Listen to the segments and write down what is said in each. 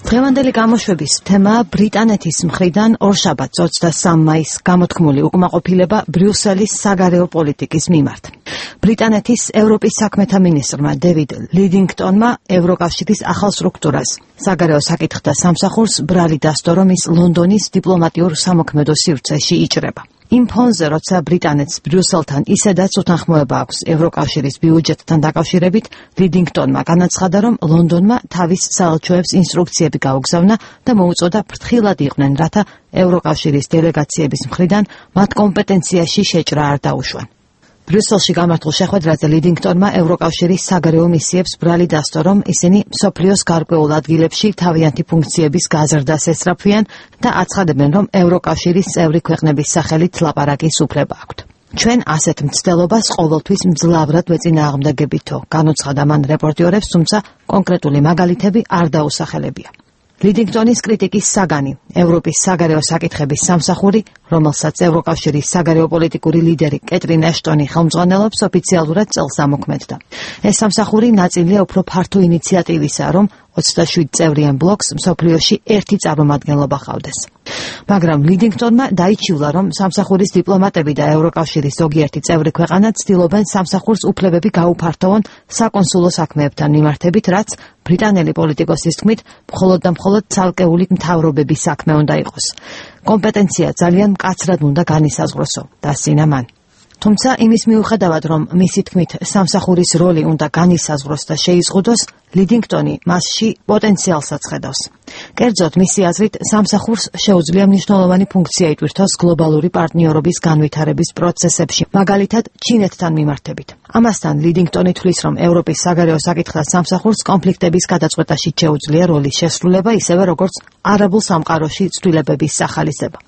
დღევანდელი გამოშვების თემაა ბრიტანეთის მხრიდან ორშაბათს 23 მაისს გამოთქმული უკმაყოფილება ბრიუსელის საგარეო პოლიტიკის მიმართ. ბრიტანეთის ევროპის საქმეთა მინისტრმა დევიდ ლიდინგტონმა ევროკავშირის ახალ სტრუქტურას საგარეო საკითხთა სამსახურს ბრალი დასდო, რომ ის ლონდონის დიპლომატიურ სამოქმედო სივრცეში იჭრება. იმ ფონზე, როცა ბრიტანეთს ბრიუსელთან ისედაც უთანხმოება აქვს ევროკავშირის ბიუჯეტთან დაკავშირებით, ლიდინგტონმა განაცხადა, რომ ლონდონმა თავის საელჩოებს ინსტრუქციები გაუგზავნა და მოუწოდა ფრთხილად იყვნენ, რათა ევროკავშირის დელეგაციების მხრიდან მათ კომპეტენციაში შეჭრა არ დაუშვან. ბრიუსელში გამართულ შეხვედრაზე ლიდინგტონმა ევროკავშირის საგარეო მისიებს ბრალი დასდო, რომ ისინი მსოფლიოს გარკვეულ ადგილებში თავიანთი ფუნქციების გაზრდას ესწრაფვიან და აცხადებენ, რომ ევროკავშირის წევრი ქვეყნების სახელით ლაპარაკის უფლება აქვთ. ჩვენ ასეთ მცდელობას ყოველთვის მძლავრად ვეწინააღმდეგებითო, განუცხადა მან რეპორტიორებს, თუმცა კონკრეტული მაგალითები არ დაუსახელებია. ლიდინგტონის კრიტიკის საგანი ევროპის საგარეო საკითხების სამსახური, რომელსაც ევროკავშირის საგარეო პოლიტიკური ლიდერი კეტრინ ეშტონი ხელმძღვანელობს, ოფიციალურად წელს ამოქმედდა. ეს სამსახური ნაწილია უფრო ფართო ინიციატივისა, რომ 27 წევრიან ბლოკს მსოფლიოში ერთი წარმომადგენლობა ჰყავდეს. მაგრამ ლიდინგტონმა დაიჩივლა, რომ სამსახურის დიპლომატები და ევროკავშირის ზოგიერთი წევრი ქვეყანა ცდილობენ სამსახურს უფლებები გაუფართოვონ საკონსულო საქმეებთან მიმართებით, რაც ბრიტანელი პოლიტიკოსის თქმით, მხოლოდ და მხოლოდ ცალკეული მთავრობების საქმე უნდა იყოს. კომპეტენცია ძალიან მკაცრად უნდა განისაზღვროსო, დასძინა მან. თუმცა იმის მიუხედავად, რომ მისი თქმით სამსახურის როლი უნდა განისაზღვროს და შეიზღუდოს, ლიდინგტონი მასში პოტენციალსაც ხედავს. კერძოდ, მისი აზრით, სამსახურს შეუძლია მნიშვნელოვანი ფუნქცია იტვირთოს გლობალური პარტნიორობის განვითარების პროცესებში, მაგალითად ჩინეთთან მიმართებით. ამასთან ლიდინგტონი თვლის, რომ ევროპის საგარეო საკითხთა სამსახურს კონფლიქტების გადაწყვეტაში შეუძლია როლის შესრულება, ისევე როგორც არაბულ სამყაროში ცვლილებების სახალისება.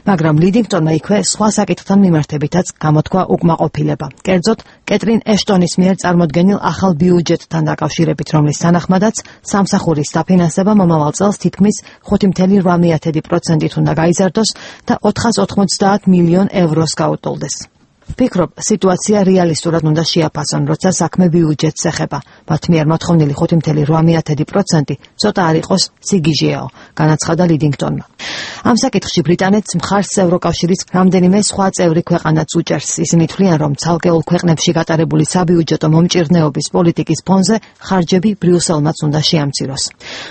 მაგრამ ლიდინგტონმა იქვე სხვა საკითხთან მიმართებითაც გამოთქვა უკმაყოფილება. კერძოდ, კეტრინ ეშტონის მიერ წარმოდგენილ ახალ ბიუჯეტთან დაკავშირებით, რომლის თანახმადაც სამსახურის დაფინანსება მომავალ წელს თითქმის 5.8% უნდა გაიზარდოს და 490 მილიონ ევროს გაუტოლდეს. ვფიქრობ, სიტუაცია რეალისტურად უნდა შეაფასონ, როცა საქმე ბიუჯეტს ეხება. მათ მიერ მოთხოვნილი 5.8% ცოტა არ იყოს სიგიჟეაო, განაცხადა ლიდინგტონმა. ამ საკითხში ბრიტანეთს მხარს ევროკავშირის რამდენიმე სხვა წევრი ქვეყანაც უჭერს. ისინი თვლიან, რომ ცალკეულ ქვეყნებში გატარებული საბიუჯეტო მომჭირნეობის პოლიტიკის ფონზე ხარჯები ბრიუსელმაც უნდა შეამციროს.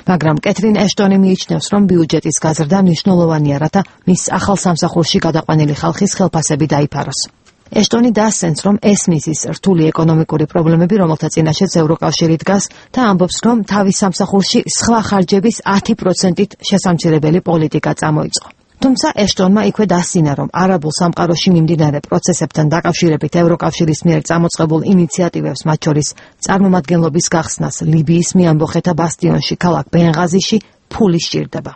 მაგრამ კეტრინ ეშტონი მიიჩნევს, რომ ბიუჯეტის გაზრდა მნიშვნელოვანია, რათა მის ახალ სამსახურში გადაყვანილი ხალხის ხელფასები დაიფაროს. ეშტონი დაასცენს, რომ ესმის ის რთული ეკონომიკური პრობლემები, რომელთა წინაშეც ევროკავშირი დგას და ამბობს, რომ თავის სამსახურში სხვა ხარჯების 10%-ით შესამცირებელი პოლიტიკა წამოიწყო. თუმცა ეშტონმა იქვე დასცინა, რომ არაბულ სამყაროში მიმდინარე პროცესებთან დაკავშირებით ევროკავშირის მიერ წამოწყებულ ინიციატივებს, მათ შორის წარმომადგენლობის გახსნას ლიბიის მიამბოხეთა ბასტიონში ქალაქ ბენღაზიში, ფული სჭირდება.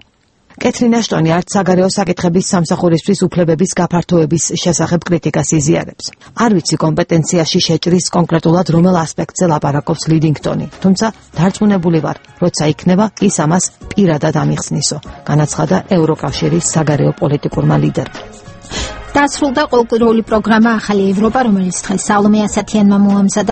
კეტრინ ეშტონი არც საგარეო საკითხების სამსახურისთვის უფლებების გაფართოების შესახებ კრიტიკას იზიარებს. არ ვიცი კომპეტენციაში შეჭრის კონკრეტულად რომელ ასპექტზე ლაპარაკობს ლიდინგტონი, თუმცა დარწმუნებული ვარ, როცა იქნება, ის ამას პირადად ამიხსნისო, განაცხადა ევროკავშირის საგარეო პოლიტიკურმა ლიდერმა. დასრულდა ყოველკვირეული პროგრამა ახალი ევროპა, რომელიც დღეს სალომე ასათიანმა მოამზადა.